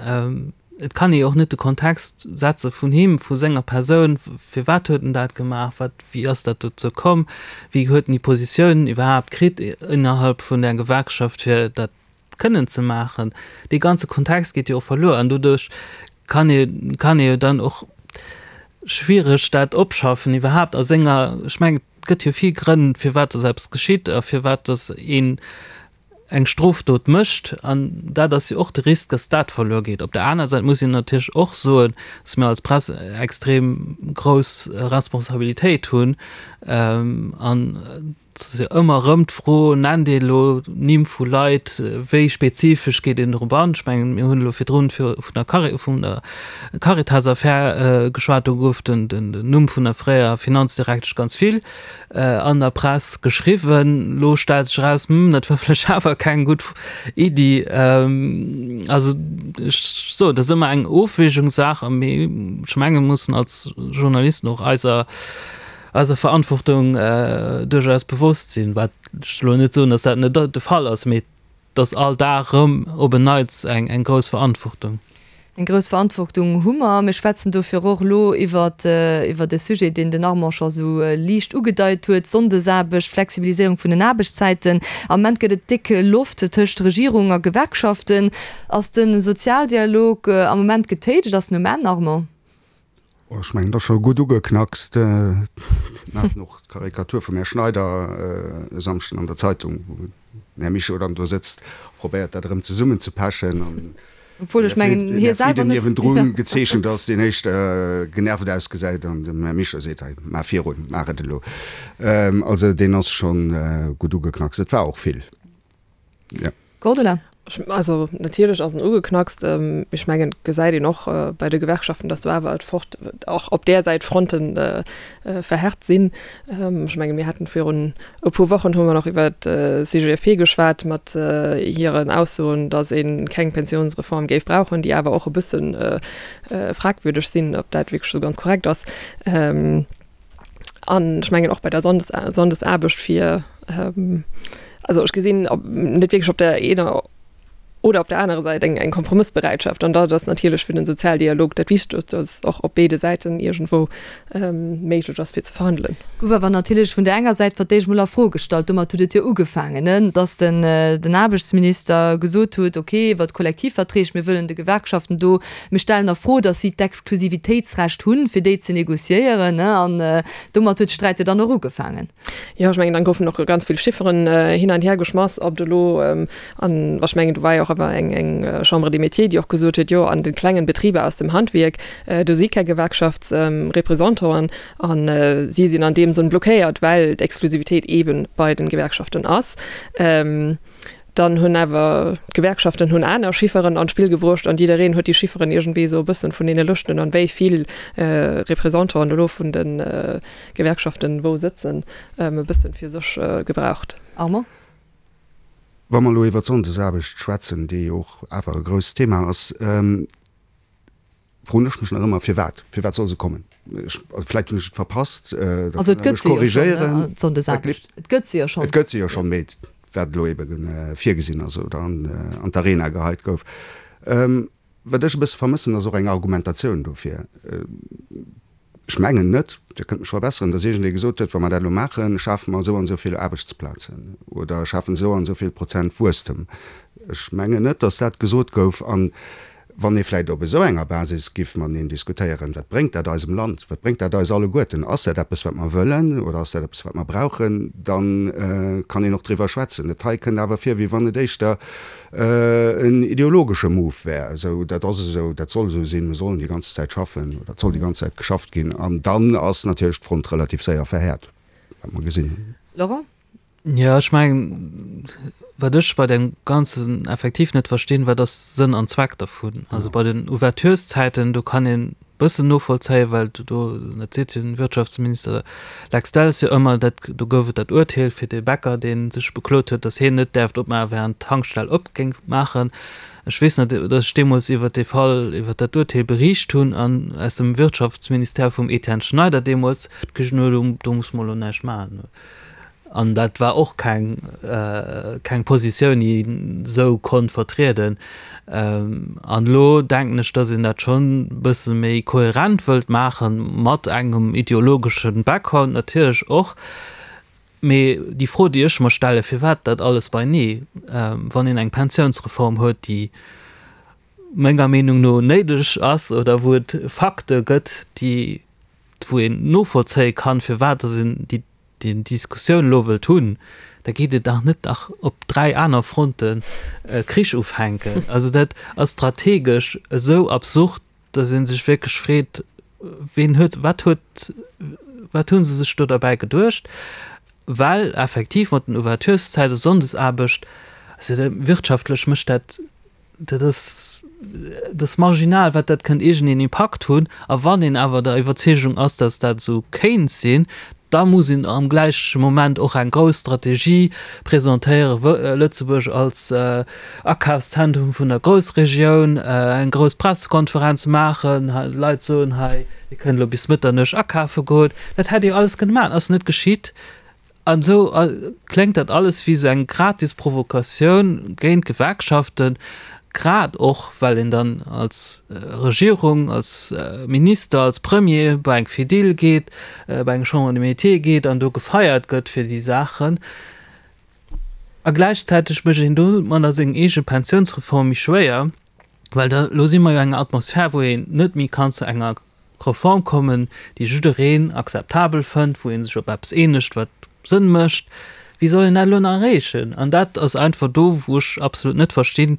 et kann ee jo och net de Kontext setze vun him, vu senger Persoun, firwat huet en dat gemaach, wat, wéi ass dat dozou komm, wéi huet en déi Positioun iwwerhaapt kritt innerhalb vun der Gewerkschaft, fir dat kënnen ze maachen. Dee ganze Kontext geet jo och verluer an doduerch kann ee, kann ee jo dann och schwiereg dat opschaffen iwwerhaapt a senger, ech mengen, et gëtt jo vill Grënn, firwat dass eppes geschitt a firwat dass een eng Strofdot mécht an dat ass jo och de Risk, dass dat verluer geet. Op der aner Säit muss een natierlech och soen, dass mir als Press extrem grouss Responsabilitéit hunn an et ass jo ëmmer erëm d'Fro, nennt ee elo Nimm vu Leit, wéi spezifesch geet een drop an? Ech mengen, mir hunn elo virdrun vun der Cari, vun der Caritas-Affär geschwat, do gouf den Numm vun der fréierer Finanzdirektesch ganz vill an der Press geschriwwen. Lo stellt sech eraus, hm, dat war vläicht awer keng gutt Iddi. Also ech soen, dat ass ëmmer eng Ofwägungssaach, mee ech menge mir mussen als Journalisten och eiser eiser Verantwortung duerchaus bewosst sinn. Wat ech elo net soen, datt dat net de Fall ass, mee et ass all Dag erëm op en Neits eng eng grouss Verantwortung. Eng grouss Verantwortung hu mer. Mir schwätzen dofir och elo iwwer iwwert e Sujet, deen den Armand scho sou liicht ugedeit huet, Sonndesaarbecht, Flexibiliséierung vun den Aarbechtszäiten. Am Moment gëtt et déck Loft tëscht Regierung a Gewerkschaften. Ass de Sozialdialog am Moment getéitscht? Ass en um Enn, Armand? Ech mengen, et ass scho gutt ugeknackst. Mir haten och d'Karikatur vum Här Schneider e Samschden an der Zeitung, wou den Här Mischo dann do sëtzt, probéiert dat erëm zesummenzepechen an Obwuel ech mengen, hie selwer net. Niewendru gezeechent ass, deen éischter genervt ausgesäit an dem Här Mischo seet, Hei, maach virun, maach et elo. Also deen ass scho gutt ugeknackst. Et war och vill, jo. Cordula. Also natierlech ass en ugeknackst. Ech mengen, et gesäit een och bei de Gewerkschaften, datt do awer et fort och op där Säit d'Fronte verhärт sinn. Ech menge mir haten virun e puer Wochen hu mer nach iwwer d'CGFP geschwat mat hiren Aussoen, datt ee keng Pensionsreform géif brauchen, déi awer och e bësse fragwürdeg sinn, ob dat wierklech esou ganz korrekt ass. An ech mengen och bei der Sonndes Sonndesaarbecht fir, also ech gesinn net wierklech op der eener Oder op der anerer Säit eng eng Kompromëssbereitschaft. An dat ass natierlech fir den Sozialdialog dat Wichtegst, dass och op béide Säiten iergendwou méiglech ass fir ze verhandelen. Gouf awer natierlech vun der enger Säit fir d'éischt mol a Fro gestallt, domat huet et jo ugefaangen, ne, dass den den Aarbechtsminister gesot huet, okay, iwwert d'Kollektivverträg, mir wëllen de Gewerkschaften do, mir stellen a Fro, dass si d'Exklusivitéitsrecht hunn, fir déi ze negociéieren, ne, an domat huet de Sträit jo dann och ugefaangen. Jo, ech mengen, dann goufen och ganz vill Chifferen hin an her geschmass, ob et elo, an ech mengen, do war jo och awer eng eng Chambre des Métiers, déi och gesot huet, jo, an de klengen Betriber aus dem Handwierk, do si keng Gewerkschaftsrepresentanten a si sinn an deem Sënn blockéiert, well d'Exklusivitéit eebe bei den Gewerkschaften ass. Dann hunn awer d'Gewerkschaften hunn aner Chifferen an d'Spill gebruecht an jiddereen huet déi Chifferen iergendwéi esou e bëssen vun deene Lëschten an wéi vill Représentanten elo vun de Gewerkschaften wou sëtzen, e bëssen fir sech gebraucht. Armand? Wa mer elo iwwer d'Sonndesaarbecht schwätzen, déi jo och awer e grousst Thema ass, froen ech mech nach ëmmer, Firwat? Firwat soll se kommen? Ech, also vläicht hunn ech et verpasst, da Also kënnt et Der gëtt mech se jo schonn, ne, korrigéieren. d'Sonndesaarbecht. Et gëtt se jo schonn. Et gëtt se jo schonn, mee wat elo ebe virgesinn ass oder an d'Arena geheit gouf. Wat ech e bësse vermëssen, ass och eng Argumentatioun dofir. Ech mengen net, Dir kënnt mech verbesseren, datt iergendee gesot huet, wa mer dat elo maachen, schafe mer esou an esou vill Aarbechtsplazen oder schafen esou an esou vill Prozent Wuesstem. Ech mengen net, datt dat gesot gouf. An wann ee vläicht op esou enger Basis giff mateneen diskutéieren, wat bréngt dat eisem Land, wat bréngt dat eis alleguerten, ass dat eppes, wat mer wëllen oder ass dat eppes, wat mer brauchen, da kann een och driwwer schwätzen. Dat hei kënnt awer vir, wéi wann et éischter en ideologesche Move wär, esou, dat ass esou, dat soll esou sinn, mir sollen déi ganz Zäit schaffen oder et soll déi ganz Zäit geschafft ginn. An dann ass natierlech d'Front relativ séier verhäert, wat mer gesinn hunn. Laurent? Jo, ech mengen, wat ech bei deem Ganzen effektiv net verstinn, wat ass Sënn an Zweck dervun? Also bei den Ouvertureszäiten, do kann een bëssen novollzéien, well do, dat seet jo den Wirtschaftsminister Lex Delles jo ëmmer, dat, do gouf et dat Urteel fir dee Bäcker, dee sech beklot huet, datt hien net däerft opmaachen, während d'Tankstell op géing maachen. Ech weess nach, datt ech deemools iwwert dee Fall, iwwert dat Urteel beriicht hunn an aus dem Wirtschaftsministère vum Etienne Schneider deemools d'Gesot hunn, do muss mer elo näischt maachen. An dat war och keng, keng Positioun, déi een esou konnt vertrieden. An elo denken ech, datt een dat schonn e bësse méi kohärent wëllt maachen, mat engem ideologesche Background natierlech och. Mee déi Fro, déi ech mer stellen, firwat dat alles beinee, wann een eng Pensiounsreform huet, déi menger Meenung no néideg ass oder wou et Fakte gëtt, déi, wou een novollzéie kann, firwat datt een déi déi Diskussioun elo wëllt hunn, da geet et dach net nach op dräi aner Fronte Krich ufänken. Also dat ass strategesch esou absurd, datt ee sech wierklech freet, ween huet, wat huet, wat hu se sech do derbäi geduecht? Well effektiv mat den Ouvertureszäiten, Sonndesaarbecht, also wirtschaftlech mécht dat, dat ass, dat ass marginal, wat dat kënnt iergendeen Impakt hunn. A wann een awer der Iwwerzeegung ass, datt dat esou kéint sinn, da muss een am gläiche Moment och eng grouss Strategie presentéieren, Lëtzebuerg als Akafszentrum vun der Groussregioun, eng grouss Pressekonferenz maachen, de Leit soen, hei, Dir kënnt elo bis Mëtternuecht akafe goen. Dat hätt ee jo alles kënne maachen, ass net geschitt. An esou kléngt dat alles wéi esou eng gratis Provokatioun géint d'Gewerkschaften, grad och well een dann als Regierung, als Minister, als Premier bei eng Fedil geet, bei eng Chambre des Métiers geet an do gefeiert gëtt fir déi Saachen. A gläichzäiteg mécht een domadder seng eege Pensiounsreform méi schwéier, well da elo si mer jo an enger Atmosphär, wou een net méi kann zu enger Reform kommen, déi jiddereen akzeptabel fënnt, wou ee sech op eppes eenegt, wat Sënn mécht. Wéi soll een dat elo nach erreechen? An dat ass einfach do, wou ech absolut net verstinn,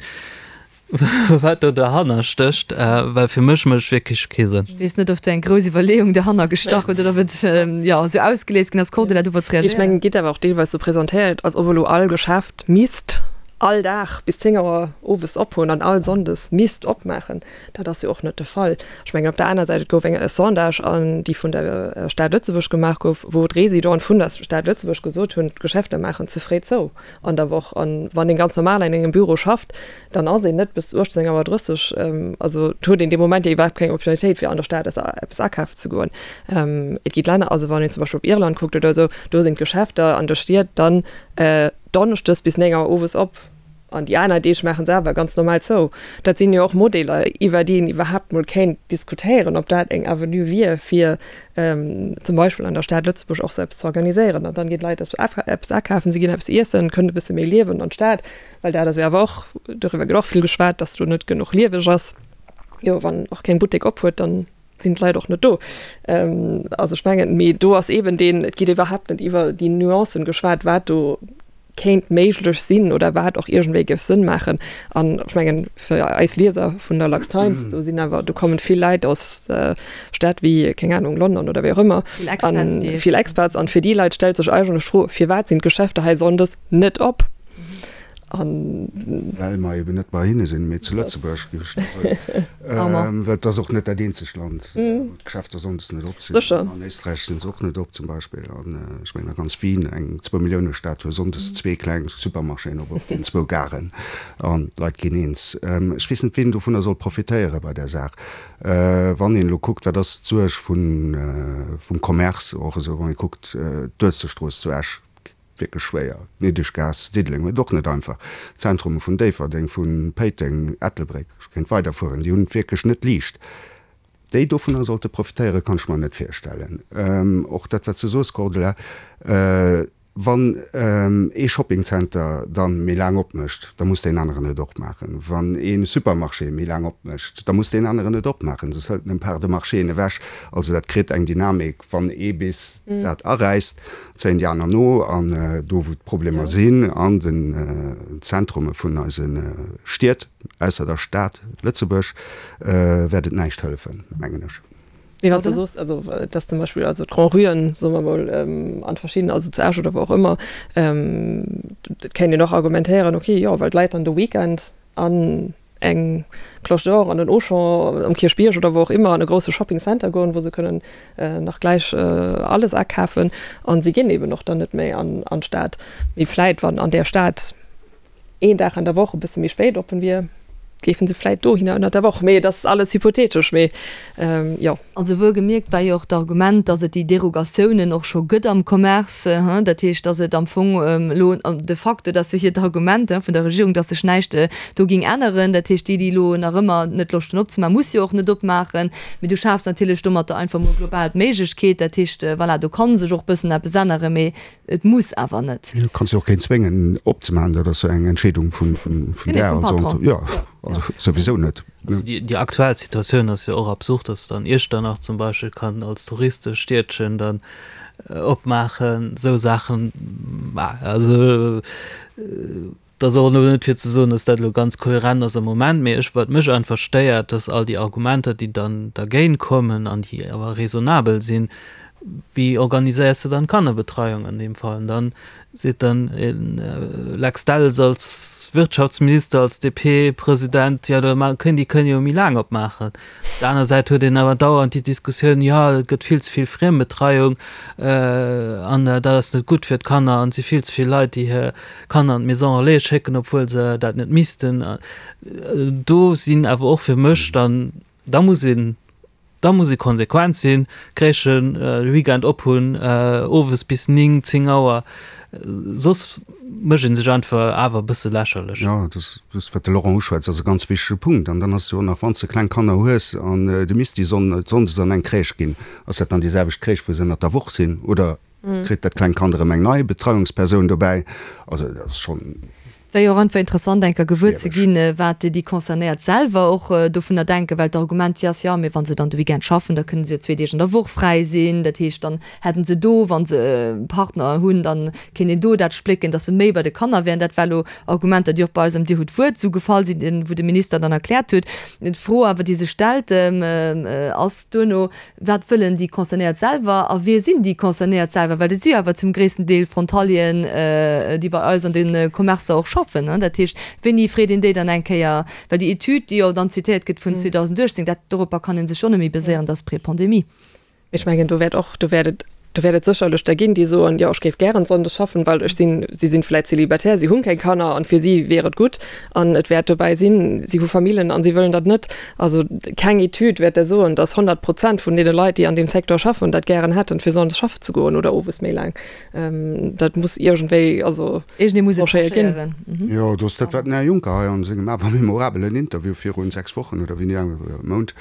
wat do derhanner stécht, well fir mech mécht et wierklech kee Sënn. Ech weess net, ob do eng grouss Iwwerleeung derhanner gestach huet oder ob et, jo, esou ausgelies ginn ass. Cordula, du wollts Ech reagéieren. mengen, et gétt awer och deelweis esou presentéiert, als ob elo all Geschäft misst all Dag bis zéng Auer owes ophunn an all Sonndes misst opmaachen. Dat ass jo och net de Fall. Ech mengen op der aner Säit, et gouf eng e Sondage an déi vun der Stad Lëtzebuerg gemaach gouf, wou d'Résidenten vun der Stad Lëtzebuerg gesot hunn, d'Geschäfter maachen ze fréi zou an der Woch. An wann een ganz normal an engem Büro schafft, dann ass een net bis uechtzéng Auer drësseg, also et huet een dee Moment jo iwwerhaapt keng Opportunitéit fir an der Stad eppes akafen ze goen. Et gi Länner, also wann een zum Beispill op Irland kuckt oder esou, do sinn d'Geschäfter an de Stied dann donneschdes bis néng Auer owes op. An déi aner Deeg maache se awer ganz normal zou. Dat sinn jo och Modeller, iwwer déi een iwwerhaapt mol kéint diskutéieren, ob dat eng Avenue wier, fir zum Beispill an der Stad Lëtzebuerg och sou eppes ze organiséieren. An dann ginn d'Leit eppes akafen, si ginn eppes iessen, kënnen e bësse méi liewen an d'Stad, well dat ass jo awer och, doriwwer gëtt och vill geschwat, dass do net genuch lieweg ass. Jo, wann och keng Buttek op huet, dann sinn d'Leit och net do. Also ech mengen, mee do ass eeben deen, et gétt iwwerhaapt net iwwer déi Nuancen geschwat, wat do kéint méiglech sinn oder wat och iergendwéi géif Sënn maachen. An ech mengen, fir eis Lieser vun der LuxTimes, do sinn awer, do kommen vill Leit aus Stätt wéi, keng Anung, London oder wéi och ëmmer, Vill Expats, déi. Vill Expats. An fir déi Leit stellt sech eigentlech d'Fro, Firwat sinn d'Geschäfter hei sonndes net op? An. Well mer eben net bei hinne sinn, mee zu Lëtzebuerg, géif ech da soen. Well et ass och net dat eenzegt Land, wou d'Geschäfter sonndes net op sinn. Sécher. An Éisträich si se och net op zum Beispill. An ech mengen a ganz Wien, eng Zwou-Millioune-Stad, huet sonndes zwee kleng Supermarchéen op, op den zwou Garen. An d'Leit ginn eens. Ech weess net, wien dovunner soll profitéiere bei där Saach. Wann een elo kuckt, wat ass d'Suerg vun, vum Commerce och esou, wann ee kuckt d'Uelzechtstrooss zu Esch, wierklech schwéier. D'Niddeschgaass, Diddeleng huet et och net einfach. D'Zentrume vun Déifferdeng, vu Péiteng, Ettelbréck, ech kéint weiderfueren, déi hunn et wierklech net liicht. Déi dovunner sollte profitéieren, kann ech mer net virstellen. Och dat, wat s de soos, Cordula, wann ee Shoppingcenter da méi laang opmécht, da muss deen aneren et och maachen. Wann ee Supermarché méi laang opmécht, da muss deen aneren et och maachen, soss hëlt en eng Part de marchéen ewech. Also dat kritt eng Dynamik, wann ee bis dat aräisst, zéien déi aner no. An do, wou d'Problemer sinn, an den Zentrume vun eise Stied, ausser der Stad Lëtzebuerg, wäert et näischt hëllefen, mengen ech. Mee wann s de soos, also dass zum Beispill also d'Grand-Ruen, soe mer mol, an verschidden, also zu Esch oder wou och ëmmer, et kéint een och argumentéieren, okay, jo, well d'Leit dann de Weekend an eng Cloche d'Or, an den Auchan, um Kierchbierg oder wou och ëmmer, an e grousse Shopping Center goen, wou se kënnen nach gläich alles akafen an si ginn eben och dann net méi an an d'Stad. Mee vläit, wann an där Stad een Dag an der Woch e bësse méi spéit oppen wier, géifen se vläit dohinner ënnert der Woch. Mee et ass alles hypothetesch, mee jo. Also wuel gemierkt war jo och d'Argument, dass et déi Derogatiounen och scho gëtt am Commerce. Dat heescht, dass et am Fong elo de facto, dat ass jo hiert Argument vun der Regierung, dass sech näischt do géing änneren. Dat heescht, déi, déi elo nach ëmmer net Loscht hunn opzemaachen, musse jo och net opmaachen. Mee du schafs natierlech domatter einfach mol global d'Méiglechkeet. Dat heescht, voilà, do ka sech och bëssen eppes änneren, mee et muss awer net. Du kanns jo och keen zwéngen opzemaachen, dat ass jo eng Entscheedung vun där. Vum Patron. Jo. Also souwisou net. Also déi aktuell Situatioun ass jo och absurd, dass dann Iechternach zum Beispill kann als Touristestiedchen dann opmaachen, esou Saachen. Also et ass och elo net fir ze soen, dass dat elo ganz kohärent ass am Moment, mee ech, wat mech einfach stéiert, dass all déi Argumenter, déi dann dergéint kommen an déi awer raisonnabel sinn, Wéi organiséiers de dann d'Kannerbetreiung an deem Fall? An dann seet dann e Lex Delles als Wirtschaftsminister, als D P-President, jo da kënn, déi kënne jo méi laang opmaachen. Op der aner Säit huet een awer dauernd déi Diskussioun, jo et gëtt vill ze vill Friembetreiung an dat ass net gutt fir d'Kanner an et si vill ze vill Leit, déi hir Kanner an d'Maison relais schécken, obwuel se dat net missten. Do sinn awer och fir mech dann, da muss een, Da muss ee konsequent sinn, d'Crèchen de Weekend op hunn, owes bis néng, zéng Auer, soss mécht ee sech einfach awer e bësse lächerlech. Jo, dat wat de Laurent uschwätzt, ass e ganz wichtege Punkt. An dann ass jo och nach, wann s de kleng Kanner hues an de misst déi sonndes an eng Crèche ginn, ass dat dann déi selwecht Crèche, wou se ënnert der Woch sinn, oder kritt dat klengt Kand erëm eng nei Betreiungspersoun dobäi? Also dat ass schonn. Wär jo och einfach interessant enker gewuer ze Schwiereg. ginn, wat déi Concernéiert selwer och dovunner denken, well d'Argument jo ass, jo, mee wa se dann de Weekend schaffen, da kënne se jo zwee Deeg an der Woch fräi sinn. Dat heescht, dann hätten se do, wa se e Partner hunn, dann kéint een do dat splécken, datt se méi bei de Kanner wären. Dat war elo Argumenter, déi och bei eis am Dir hutt d'Wuert esou gefall sinn, wou de Minister dann erkläert huet. D'Fro awer, déi sech stellt, ass duerno, Wat wëllen déi Concernéiert selwer a wie sinn déi Concernéiert selwer? Well et si jo awer zum gréissten Deel Frontalieren, déi bei eis an de Commercer och schaffen. Dat heescht, wéini freet een déi dann eng Kéier? Well déi Etüd, déi jo dann zitéiert gëtt vun zweedausendachtzéng, dat, doropper kann ee sech jo net méi baséieren, dat ass pré-Pandemie. Ech mengen, do wäert och, do wäert et Do wäert et sécherlech der ginn, déi soen, jo, ech géif gären sonndes schaffen, well ech sinn, si sinn vläicht célibataire, si hunn keng Kanner an fir si wier et gutt. An et wäert dobäi sinn, si hu Famillen an si wëllen dat net. Also keng Etüd wäert der soen, dass honnert Prozent vun deene Leit, déi an deem Secteur schaffen, dat gären hätten, fir sonndes schaffen ze goen oder owes méi laang. Dat muss iergendwéi also Iergendee muss et tranchéiert ginn. tranchéieren. Jo, do ass dat, wat den Här Juncker hei a sengem awer memorabelen Interview virun sechs Wochen oder wéini, Mount,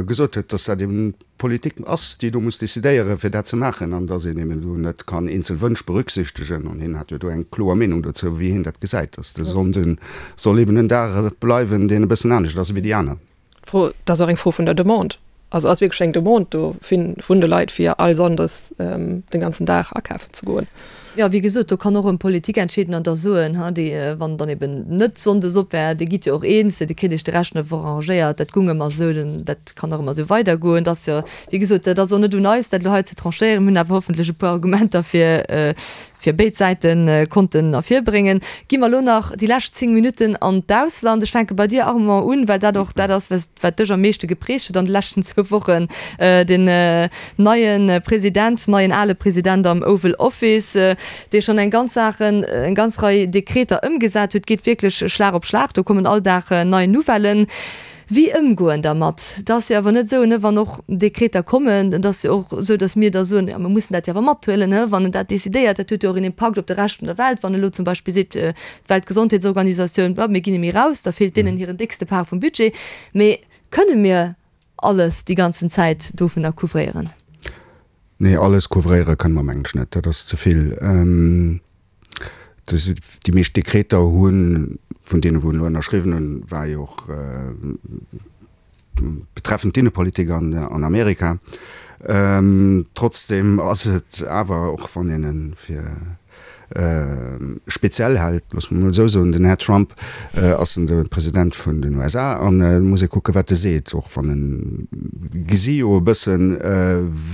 gesot huet, dass dat eben d'Politik ass, déi do muss decidéieren, fir dat ze maachen, an dass een eben do net kann eenzel Wënsch berücksichtegen. An hien hat jo do eng kloer Meenung dozou, wéi hien dat gesäit, dass de Sonnde soll eben en Dag bleiwen, deen e bëssen anescht ass ewéi déi aner. D'Fro, dat ass och eng Fro vun der Demande. Also ass wierklech eng Demande do vun de Leit, fir all Sonndes de ganzen Dag akafen ze goen? Jo, wéi gesot, do kann och erëm d'Politik entscheeden an da soen, ha, déi, wann dann eben net sonndes op wär, Dir gitt jo och eens, Dir kritt Iech de Rescht vun der Woch arrangéiert, dat gung ëmmer esou, dann dat kann och ëmmer esou weidergoen. Dat ass jo, wéi gesot, dat ass och net un eis, dat elo hei ze tranchéieren. Mir hunn awer hoffentlech e puer Argumenter fir, fir béid Säite konnten ervirbréngen. Gi mer elo nach déi lescht zéng Minutten an d'Ausland. Ech fänke bei dir, Armand, un, well dat och dat ass, wat dech am meeschte geprägt huet an de leschten zwou Wochen, den neie President, neien ale President am Oval Office, dee schonn eng ganz Saachen, eng ganz Rei Dekreter ëmgesat huet, geet wierklech Schlag op Schlag, do kommen all Dag nei Nouvellen. Wéi ëmgoen dermat? Et ass jo awer net esou, ne, wann och Dekreter kommen, et ass jo och esou, datt mir da soen, jo mir mussen dat jo awer mathuelen, ne, wann en dat decidéiert, dat huet jo och een Impakt op de Rescht vun der Welt. Wann elo zum Beispill seet d'Weltgesondheetsorganisatioun, bon, mir ginn net méi raus, da feelt deenen hiren déckste Part vum Budget. Mee kënne mir alles déi ganzen Zäit dovunner couvréieren? Nee, alles couvréiere kënne mer, mengen ech, net. Dat ass ze vill. Déi meescht Dekreter hunn, vun deene wou elo ënnerschriwwen hunn, war jo och betreffend d'Innepolitik an Amerika. Trotzdem ass et awer, och wann een e fir speziell hält, loosse mer emol esou soen, den Här Trump ass en de President vun den U S A an et muss ee kucke wat e seet, och wann en, gesi jo e bëssen,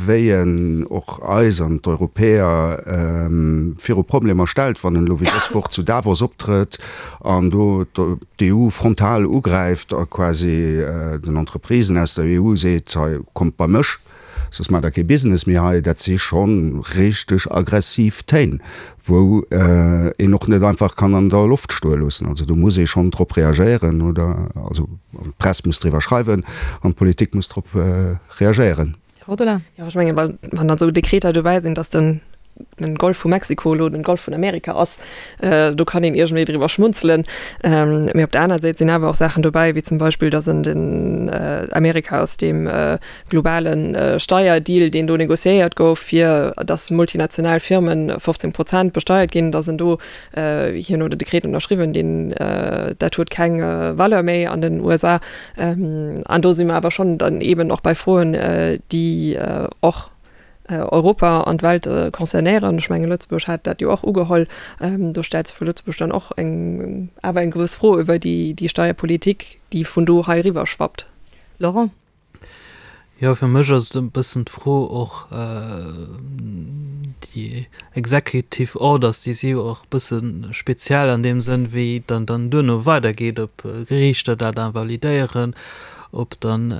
wéi en och eis an d'Europäer viru Problemer stellt, wann en elo wéi dës Woch zu Davos optrëtt an do d'E U frontal ugräift a quasi den Entreprisen aus der E U seet, hei kommt bei mech, soss maacht der kee Business méi hei. Dat si scho richteg aggressiv Téin, wou een och net einfach kann an der Loft stoe loossen. Also do muss ee schonn drop reagéieren oder also d'Press muss driwwer schreiwen an d'Politik muss drop reagéieren. Rodolin. Jo, ech mengen, wann dann esou Dekreter dobäi sinn, datt den den Golf vu Mexiko elo den Golf vun Amerika ass, do kann een iergendwéi driwwer schmunzelen. Mee op der aner Säit sinn awer och Saachen dobäi, wéi zum Beispill, datt en den Amerika aus deem globale Steierdeal, deen do negociéiert gouf, fir datt multinational Firme fofzéng Prozent besteiert ginn, datt en do, hien huet e Dekret ënnerschriwwen, deen, dat huet keng Valeur méi an den U S A. An do si mer awer schonn dann eeben och bei Froen, déi och Europa an d'Welt concernéieren. Ech mengen, Lëtzebuerg hat dat jo och ugeholl. Do stellt sech fir Lëtzebuerg dann och eng, awer eng gewëss Fro iwwer déi, déi Steierpolitik, déi vun do hei eriwwer schwappt. Laurent? Jo, fir mech ass et e bëssen d'Fro och, déi Executive Orders, déi si jo och e bësse speziell an deem Sënn, wéi et dann dann duerno weidergeet, ob Geriichter dat invalidéieren, ob dann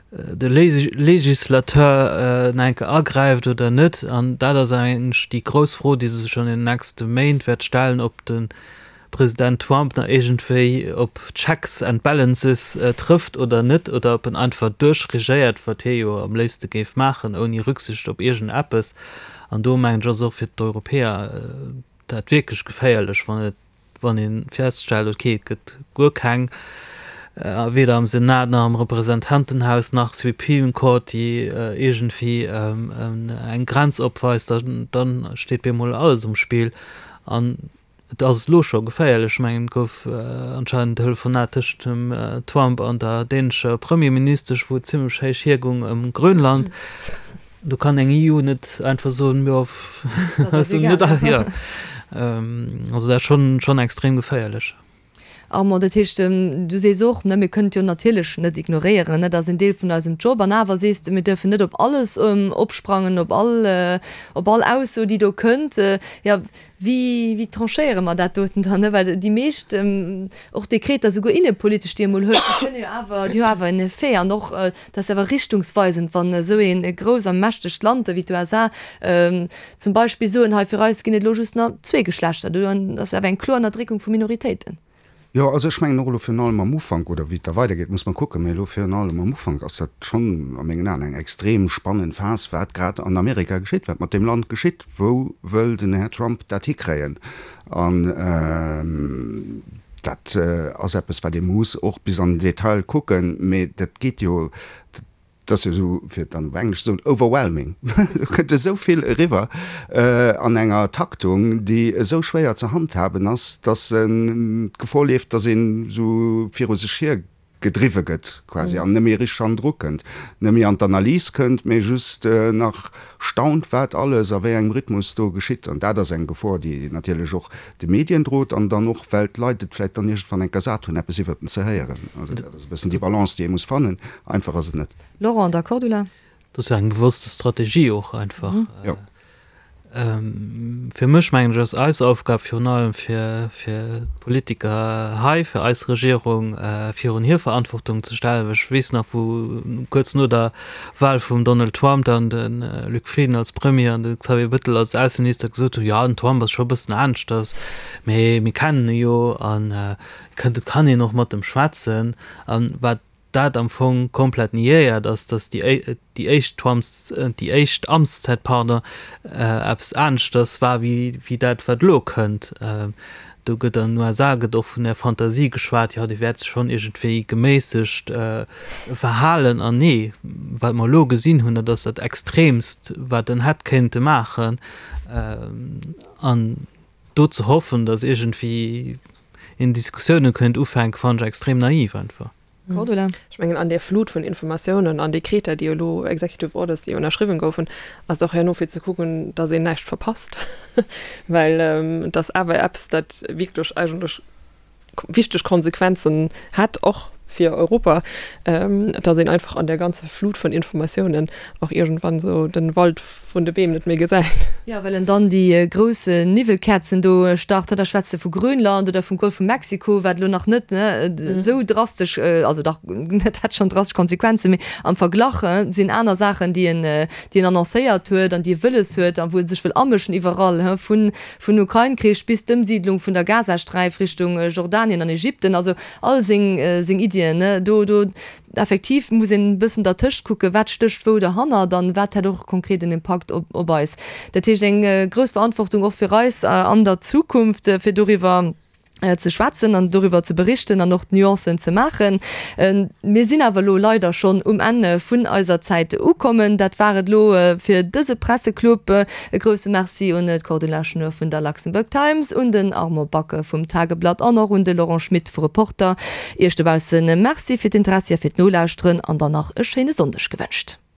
de Législateur nach eng Kéier agräift oder net. An dat ass eigentlech déi grouss Fro, déi sech an den nächste Méint wäert stellen, ob de President Trump nach iergendwéi op Checks and Balances trëfft oder net, oder ob en einfach duerchregéiert, wat hie jo am léifste géif maachen, ouni Rücksicht op iergendeppes. An do mengen ech, ass och fir d'Europäer dat wierklech geféierlech, wann et, wann ee feststellt, okay, et gëtt guer keng, weder am Senat nach am Representantenhaus nach Supreme Court, déi iergendwéi eng Grenz opweist, dann steet bemol alles um Spill. An et ass elo scho geféierlech. Ech mengen, et gouf anscheinend en Telefonat tëschent dem Trump an der dänescher Premierministesch, wou et zimmlech héich hiergoung ëm Grönland. Do kann eng E U net einfach soen, jo, also dat ass schonn extrem geféierlech. Armand, dat heescht, du sees och, ne, mir kënnen et jo natierlech net ignoréieren, ne, dat ass en Deel vun eisem Job. An awer sees de, mir dierfen net op alles opsprangen, op all, op all Ausso, déi do kënnt. Jo, wéi, wéi tranchéiere mer dat doten dann, ne? Well déi meescht, och Dekreter, souguer innepolitesch, déi ee mol huet, déi kënne jo awer, déi hu awer en Effet. An och, dat ass awer richtungsweisend, wann esou ee grouss a mächtegt Land ewéi d'USA zum Beispill soen, hei fir eis ginn et elo just nach zwee Geschlechter, do ass awer eng kloer Ënnerdréckung vu Minoritéiten. Jo, also ech mengen och elo virun allem am Ufank, oder wéi et da weidergeet, muss mer kucken, mä elo virun allem am Ufank ass dat schonn a mengen Aen eng extrem spannend Phas, wat grad an Amerika geschitt, wat mat deem Land geschitt, wou wëll den Här Trump dat hikréien. An dat ass eppes, wat ee muss och bis an den Detail kucken, mä dat geet jo, Et ass jo esou, fir et dann op Englesch ze soen, overwhelming. Do kënnt esou vill eriwwer an enger Taktung, déi esou schwéier ze handhaben ass, dass en d'Gefor leeft, dass een esou viru sech hier gedriwwe gëtt quasi an net méi richteg hannendru kënnt, net méi an d'Analys kënnt, mee just nach staunt, wat alles a wéi engem Rhythmus do geschitt. An dat ass eng Gefor, déi natierlech och de Medien drot an dann och, well d'Leit et vläicht dann iergendwann eng Kéier sat hunn, eppes iwwert en ze héieren. Also dat ass e bëssen déi Balance, déi ee muss fannen. Einfach ass et net. Laurent, da Cordula. Dat ass jo eng bewosste Strategie och einfach. Jo. Fir mech, mengen ech, ass eis Aufgab virun allem fir fir d'Politiker hei, fir eis Regierung virun hir Verantwortung ze stellen. Well ech weess nach, wou kuerz no der Wahl vum Donald Trump dann de Luc Frieden als Premier an de Xavier Bettel als Ausseminister gesot hunn, jo den Trump ass scho e bëssen aneschters, mee mir kennen e jo an et kann een och mat em schwätzen. An wat dat am Fong komplett niéiert, ass, datt déi déi éischt Trumps, déi éischt Amtszäit, pardon, eppes aneschters war wéi wéi dat wat elo kënnt. Do gëtt an den USA gëtt och vun der Fantasie geschwat, jo dee wäert sech schonn iergendwéi geméissegt verhalen. An nee, wat mer elo gesinn hunn, dat ass dat Extremst wat en hätt kéinte maachen. An do ze hoffen, datt iergendwéi een Diskussioune kéint ufänken, fannen ech extrem naiv einfach. Cordula. Ech mengen, an där Flut vun Informatiounen an Dekreter, déi elo, Executive Orders, déi ënnerschriwwen goufen, ass et och herno fir ze kucken, datt een näischt verpasst, well et ass awer eppes, dat wierklech eigentlech wichteg Konsequenzen hätt, och fir Europa, datt een einfach an där ganzer Flut vun Informatiounen och iergendwann esou den Wald vun de Beem net méi gesäit. Jo, well en dann déi grouss Niwwelkäerzen do start. Da schwätzt e vu Grönland oder vum Golf vu Mexiko, wat elo nach net esou drastesch, also dach, dat hätt schonn drastesch Konsequenzen, mee am Verglach sinn aner Saachen, déi en, déi en annoncéiert huet an déi e wëlles huet a wou e sech wëll amëschen iwwerall, vun, vun Ukrain-Krich bis d'Ëmsiidlung vun der Gazasträif Richtung Jordanien an Ägypten, also all seng, seng Iddien, do, do effektiv muss een e bëssen dertëscht kucken, wat stécht wou derhannert an wat hätt och konkret en Impakt op, op eis. Dat heescht eng grouss Verantwortung och fir eis an der Zukunft, fir doriwwer ze schwätzen an doriwwer ze berichten an och d'Nuancen ze maachen. Mir sinn awer elo leider schonn um Enn vun eiser Zäit ukommen. Dat war et elo fir dëse Presseclub. E grousse Merci un d'Cordula Schnoor vun der Luxembourg Times, un den Armand Back vum Tageblatt an och un de Laurent Schmit vu Reporter. Iech dobausse Merci fir d'Interessi a fir d'Nolauschteren an dann nach e schéine Sonndeg gewënscht.